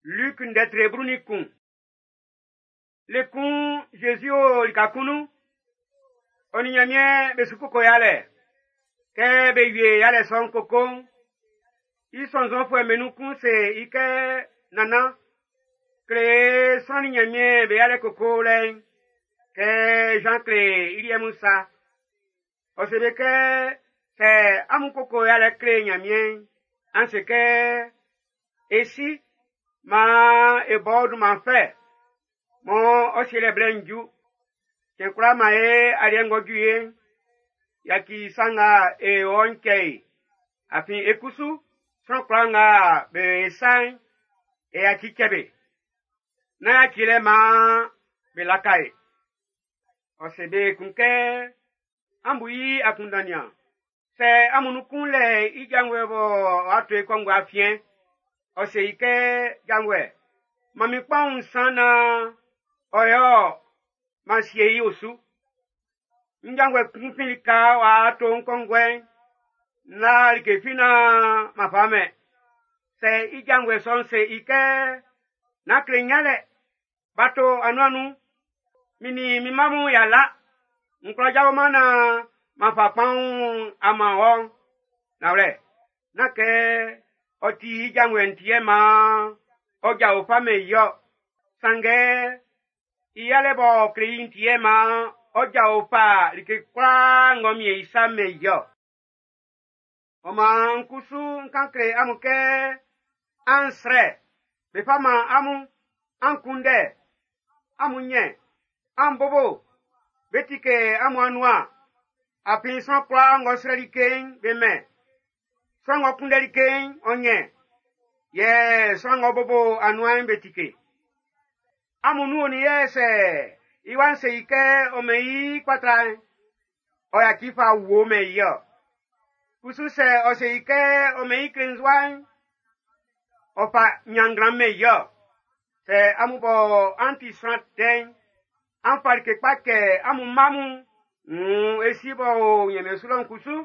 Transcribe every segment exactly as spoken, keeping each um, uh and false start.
Luc ndɛtre blu nin kun. Le kun Jésus o lika kun nun. Ɔ nin Ɲanmiɛn be su koko yalɛ. Kɛ be wie yalɛ sɔ'n koko'n, i sɔnnzɔnfuɛ'm be nun kun se i kɛ nannan, kle sran nin Ɲanmiɛn be yalɛ kokolɛ'n, kɛ Jean kle i liɛ mun sa. Ɔ se be kɛ sɛ amun koko yalɛ kle Ɲanmiɛn'n, an se kɛ e si, maan e bɔ dunman fɛ, mɔ ɔ sielɛ blɛ'n ju. Cɛn kwlaa man e aliɛ ng'ɔ ju ye'n, yaci sa nga e o'n cɛ e. Afin e kusu, sran kwlaa nga be sa'n, e yaci cɛ be. Nán yaci lɛ maan be laka e. Ɔ se be kun kɛ, an bu i akunndan nian. Sɛ amun nun kun lɛ i janvuɛ bɔ ɔ'a to i kɔnguɛ afiɛn, ɔ se i kɛ janvuɛ, man min kpaun nsan naan ɔ yɔ man sie i osu. N janvuɛ kun fin lika w'a to n kɔnguɛ'n, na like fi naan ma fa mɛn. Sɛ i janvuɛ sɔ'n se i kɛ, nán kle nyalɛ, b'a to anuan nun, min nin min mma mun y'a la, n kwla jaoman naan ma fa kpaun a man wɔ. Nanwlɛ, nán kɛ ɔ ti i janvuɛ'n ti yɛ maan ɔ jao fa mɛn i ɔ. Sanngɛ i yalɛ b'ɔ kle i'n ti yɛ maan ɔ jao fa like kwlaa ng'ɔ miɛn i sa mɛn i ɔ. Ɔ maan n kusu n kan kle amun kɛ an srɛ, be fa man amun, an kunndɛ, amun nyɛ, an bobo, be tike amun anuan. Afin sran kwlaa ng'ɔ srɛ like'n, be mɛn. Sran ng'ɔ kunndɛ like'n, ɔ nyɛ. Yɛ sran ng'ɔ bobo anuan'n, be tike. Amun nun onin yɛ sɛ i wa'n se i kɛ ɔ mɛn i kpatra'n, ɔ yaci fa wo mɛn i ɔ. Kusu sɛ ɔ se i kɛ ɔ mɛn i klenzua'n, ɔ fa nyannglan mɛn i ɔ. Sɛ amun bɔ an ti sran tɛ'n, an fa like kpa kɛ amun mma mun, mm, e si bɔ o Ɲanmiɛn su lɔ'n kusu,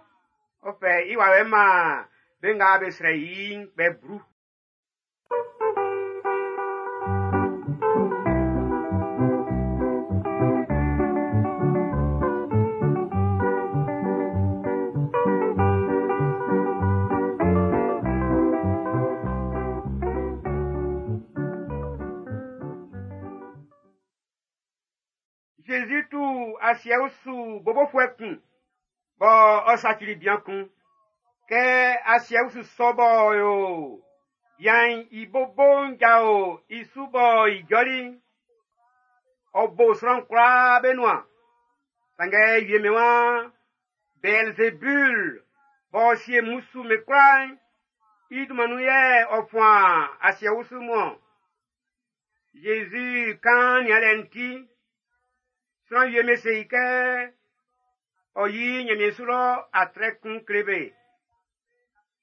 ɔ fɛ i wawɛ'n man be nga be srɛ i'n kpɛ blu. Jésus tu asiɛ su bobofuɛ kun, bɔ ɔ sacili bian kun. Kɛ asiɛ su sɔ bɔ yo, bian'n i bobo'n jao i su bɔ i jɔli'n, ɔ bo sran kwlaa be nuan. Sanngɛ wie mɛn wa, Beelzebul b'ɔ sie mmusu me kwlaa'n, i dunman nun yɛ ɔ fuan asiɛ usu mun-ɔn. Jésus kan nianlɛ'n ti, sran wie me se i kɛ ɔ yi Ɲanmiɛn su lɔ atrɛ kun kle be.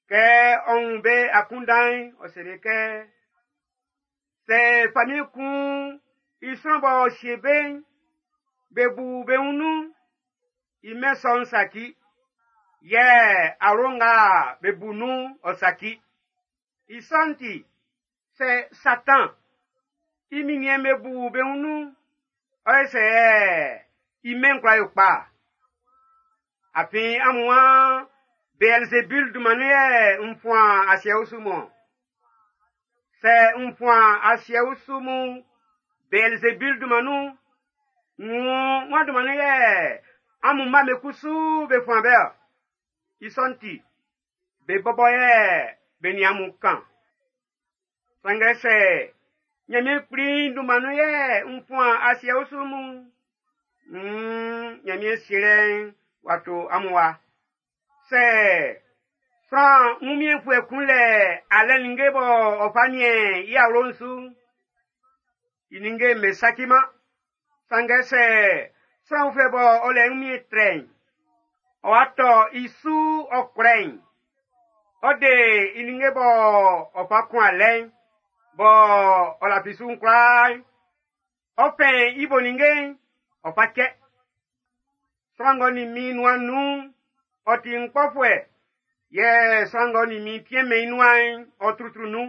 Kɛ ɔ wun be akunndan'n, ɔ se be kɛ, sɛ famiɛn kun i sran b'ɔ sie be'n, be bu be wun nun, i mɛn sɔ'n saci, yɛ awlo nga be bu nun'n ɔ saci. I sɔ'n ti, sɛ Satan i minniɛn'n be bu be wun nun'n, ɔ yɛ sɛ i mɛn'n kwla yo kpa. Afin amun waan Beelzebul dunman nun yɛ n fuan asiɛ usu mun. Sɛ n fuan asiɛ usu mun Beelzebul dunman nun, ŋun wan dunman nun yɛ amun mma be kusu be fuan be ɔ. I sɔ'n ti, be bɔbɔ yɛ be nin amun kan. Sanngɛ sɛ Ɲanmiɛn Kpli dunman nun yɛ n fuan asiɛ usu mun, mm, Ɲanmiɛn sielɛ'n w'a to amun wa. Sɛ sran wunmiɛnfuɛ kun lɛ alɛ ninnge bɔ ɔ fa niɛn i awlo'n su, i ninnge'm be saciman. Sanngɛ sɛ sran uflɛ bɔ ɔ lɛ wunmiɛn trɛ'n, ɔ wa tɔ i su ɔ kwlɛ'n, ɔ de i ninnge bɔ ɔ fa kun alɛ'n, bɔ ɔ lafi su'n kwlaa'n, ɔ fɛn i bo ninnge'n, ɔ fa cɛ. Sran ng'ɔ nin min nuan nun'n, ɔ ti n kpɔfuɛ, yɛ sran ng'ɔ nin min tiɛnmɛn i nuan'n, ɔ trutru nun.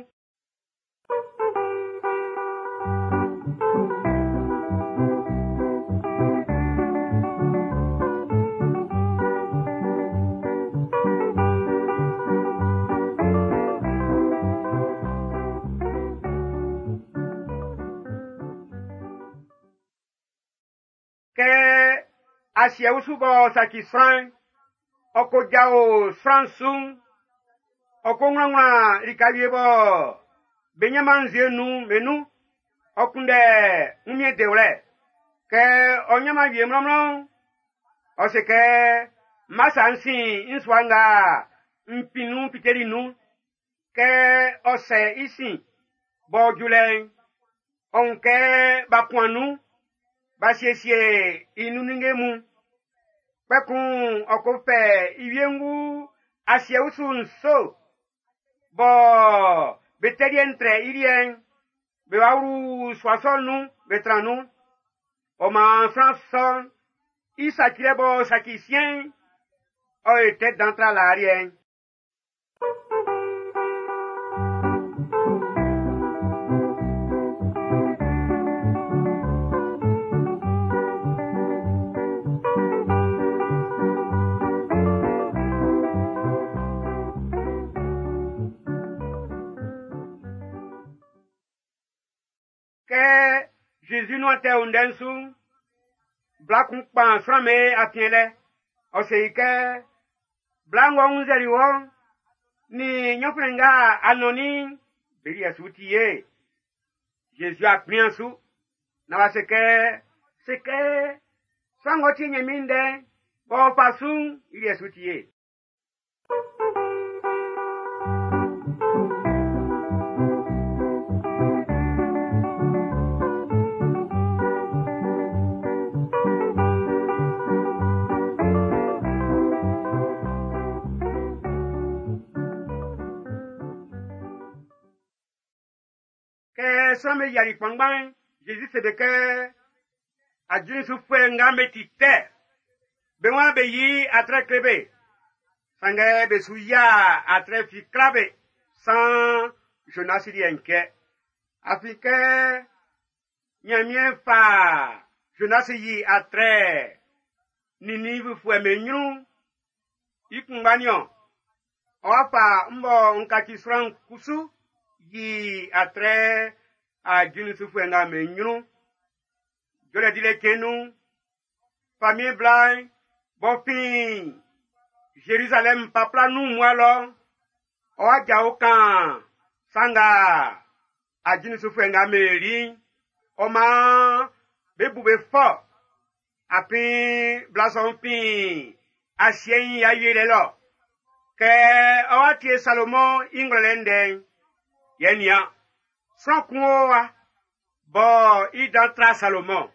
Asiɛ usu b'ɔ saci sran'n, ɔ ko jao sran su'n, ɔ ko wlanwlan lika wie bɔ be nyan-man nzue nun be nun, ɔ kunndɛ wunmiɛn dewlɛ. Kɛ ɔ nyan-man wie mlɔnmlɔn'n, ɔ se kɛ, m ma sa n sin n sua nga n fin nun fiteli nun. Kɛ ɔ sɛ i sin b'ɔ ju lɛ'n, ɔ wun kɛ b'a kuan nun, b'a siesie i nun ninnge mun. Kpɛkun ɔ ko fɛ i wiengu asiɛ usu nso bɔ be tɛliɛ'n trɛ i liɛ'n, be wa wlu sua sɔ'n nun, be tran nun. Ɔ maan sran sɔ'n, i sacilɛ b'ɔ saci siɛn'n, ɔ ye tɛ dan tra laa liɛ'n. Kɛ Jésus nuan tɛ o ndɛ'n su'n, bla kun kpan sran'm be afiɛn lɛ. Ɔ se i kɛ, bla ng'ɔ wunnzɛli wɔ'n, nin nyɔnflɛn nga a nɔnnin'n, be liɛ su ti ye. Jésus a kplian su, na w'a se kɛ, se kɛ, sran ng'ɔ tie Nyanmiɛn ndɛ'n, b'ɔ fa su'n, i liɛ su ti ye. Kɛ sran'm be yiali kpanngban'n, Jésus se be kɛ, ajulisufuɛ nga be ti tɛ, be waan be yi atrɛ kle be. Sanngɛ be su yia atrɛ fi kla be, san Jonas liɛ'n kɛ. Afin kɛ Nyanmiɛn fa Jonas yi atrɛ Ninivufuɛ'm be nyrun'n, i kunngba niɔn, ɔ'a fa m bɔ n kaci sran kusu yi atrɛ ajulisufuɛ nga be nyrun. Jɔlɛ dilɛ cɛn nun'n, famiɛn bla'n b'ɔ fin Jérusalem papla nun mmua lɔ, ɔ'a jao kan sa nga ajulisufuɛ nga be li'n, ɔ maan be bu be fɔ. Afin bla sɔ'n fin asiɛ'n i awieliɛ lɔ. Kɛ ɔ'a tie Salomɔn i ngwlɛlɛ ndɛ'n, yɛ nian, sran kun o wa, bɔ i dan tra Salomɔn.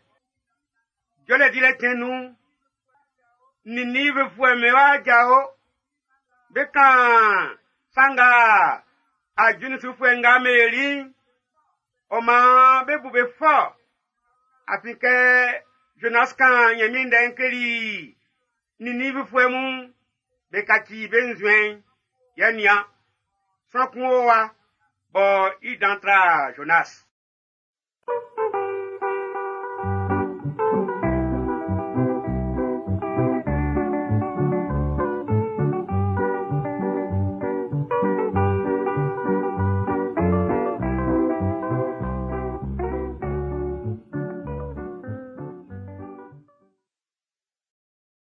Jɔlɛ dilɛ cɛn nun'n, Ninivufuɛ'm be wa jao, be kan sa nga ajulisufuɛ nga be li'n, ɔ maan be bu be fɔ. Afin kɛ Jonas kan Nyanmiɛn ndɛ'n kleli Ninivufuɛ mun, be kaci be nzuɛn'n, yɛ nian, sran kun o wa, bɔ i dan tra Jonas.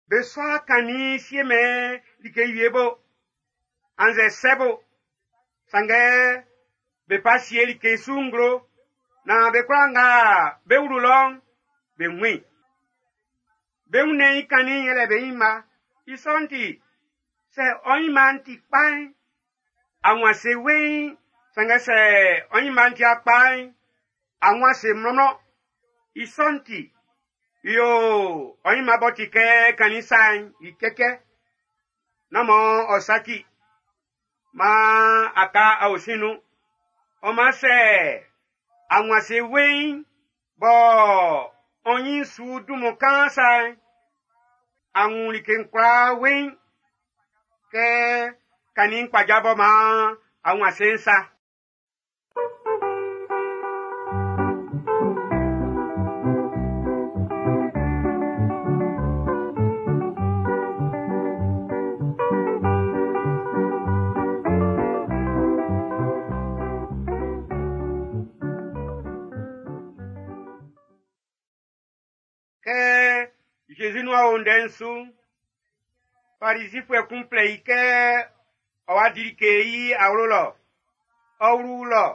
Be sɔ kannin siemɛn like wie bo, annzɛ sɛ bo, sanngɛ be fa sie like su nglo, na be kwlaa nga be wlu lɔ'n, be wun i. Be wunnɛn'n i kannin'n yɛlɛ be nyinma. I sɔ'n ti, sɛ ɔ nyinma'n ti kpa'n, a wun ase weiin, sanngɛ sɛ ɔ nyinma'n ti akpa'n, a wun ase mlɔnmlɔn. I sɔ'n ti, yo ɔ nyinma b'ɔ ti kɛ kannin sa'n i cɛcɛ. Nán mɔ ɔ saci, maan a ka aosin nun. Ɔ man sɛ a wun ase weiin bɔ ɔ nyin su dunman kaan sa'n, a wun like'n kwlaa weiin kɛ kannin kpaja bɔ maan a wun ase'n sa. Kɛ Zezi nuan o ndɛ'n su. Farizifue kun flɛ i kɛ ɔ wa di like i awlo lɔ. Ɔ wlu lɔ,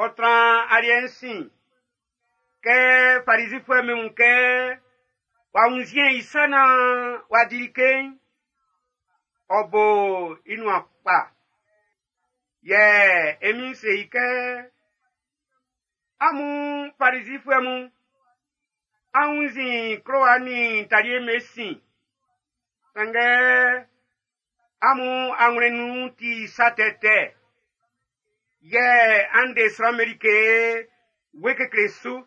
ɔ tran aliɛ'n sin. Kɛ Farizifue mun wun kɛ w'a wunnzue i sa naan w'a di like'n, ɔ bo i nuan kpa. Yɛ e Min'n se i kɛ, amun Farizifue mun, an wunnzin klowa nin talie be sin. Sanngɛ amun anwlɛn nun ti sa tɛtɛ. Yɛ an de sran'm be like wue kekle su.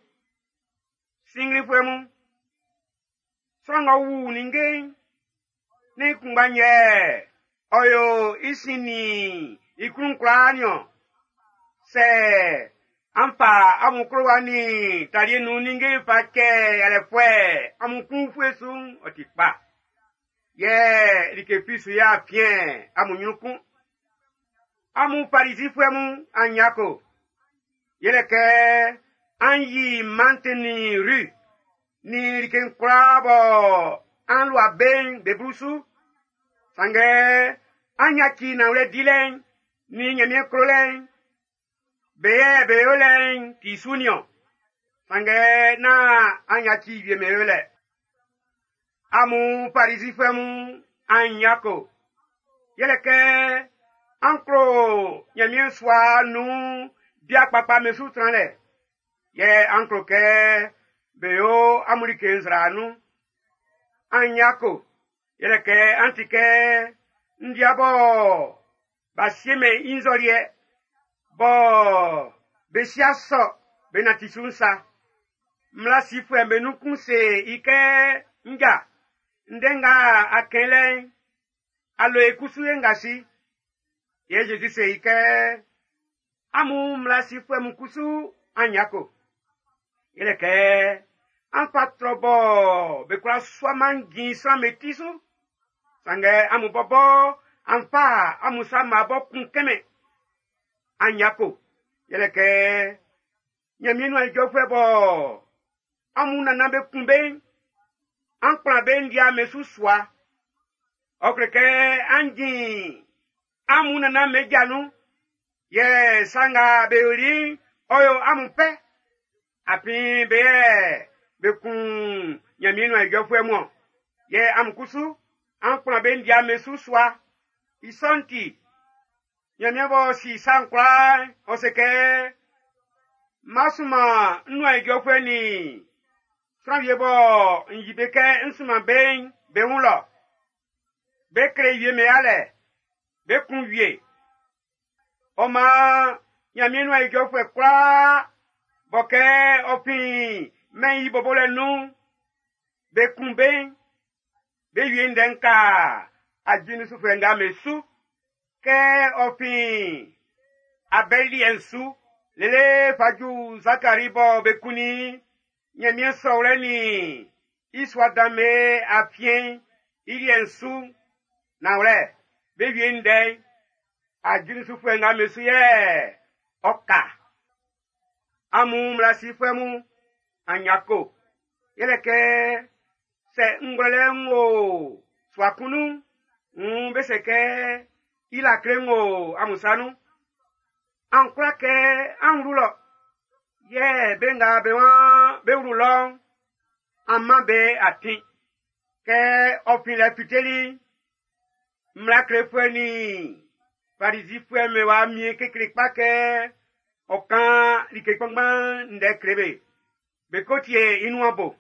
Sinnglinfuɛ mun, sran ng'ɔ wu ninnge'n, ne i kunngba yɛ ɔ yo i sin nin i klun kwlaa niɔn. Sɛ an fa amun klowa nin talie nun ninnge fa cɛ yalɛfuɛ amun klun ufue su'n, ɔ ti kpa. Yɛ like fi su y'a fiɛn amun ɲrun kun. Amun Farizifue mun, an yako. Yɛlɛ kɛ an yi mante nin ru nin like kwlaa bɔ an lua be'n be blu su. Sanngɛ an yaci nanwlɛ dilɛ'n nin Ɲanmiɛn klolɛ'n, be yɛ be yolɛ'n ti su niɔn. Sanngɛ nán an yaci wie be yolɛ. Amun Farizifue mun, an yako. Yɛlɛ kɛ an klo Ɲanmiɛn sua nun bia kpakpa be su tranlɛ. Yɛ an klo kɛ be yo amun like nzra nun. An yako. Yɛlɛ kɛ an ti kɛ ndia bɔ b'a siemɛn i nzɔliɛ bɔ be sia sɔ be nanti su'n sa. Mmla sifuɛ'm be nun kun se i kɛ, nja, ndɛ nga a kɛn lɛ'n, a lo e kusu ye ngasi. Yɛ Zezi se i kɛ, amun mmla sifuɛ mun kusu an yako. Yɛlɛ kɛ an fa trɔ bɔ be kwla suaman jin sran'm be ti su. Sanngɛ amun bɔbɔ an fa amun sa mma bɔ kun kɛmɛ. An yako. Yɛlɛ kɛ Ɲanmiɛn nuan ijɔfuɛ bɔ amun nannan be kun be'n, an kplan be ndia be su sua. Ɔ kle kɛ an jin amun nannan be ja nun. Yɛ sa nga be yoli'n, ɔ yo amun fɛ. Afin be yɛ be kun Ɲanmiɛn nuan ijɔfuɛ mun. Yɛ amun kusu, an kplan be ndia be su sua. I sɔ'n ti, Ɲanmiɛn b'ɔ si sa'n kwlaa, ɔ se kɛ, ma sunman n nuan ijɔfuɛ nin sran wie bɔ n yi be kɛ n sunman be'n be wun lɔ. Be kle wie me alɛ, be kun wie. Ɔ maan Ɲanmiɛn nuan ijɔfuɛ kwlaa bɔ kɛ ɔ fin mɛn'n i bobolɛ nun'n, be kun be'n, be wie ndɛ'n ka ajulisufuɛ nga be su. Kɛ ɔ fin Abɛli liɛ'n su, lele fa ju Zakari bɔ be kunnin Ɲanmiɛn sɔwlɛ nin i sua dan be afiɛn'n i liɛ'n su. Nanwlɛ, be wie ndɛ'n, ajulisufuɛ nga be su yɛ ɔ ka. Amun mmla sifuɛ mun, an yako. Yɛlɛ kɛ sɛ ngwlɛlɛ'n wo sua kun nun'n, wuun be se kɛ i lakle'n wo amun sa nun. An kwla kɛ an wlu lɔ. Yɛ be nga be waan be wlu lɔ'n, an man be atin. Kɛ ɔ fin lɛ fiteli, mmla klefuɛ nin Farizifue be wa mie kekle kpa kɛ ɔ kan like kpanngban ndɛ kle be. Be ko tie i nuan bo.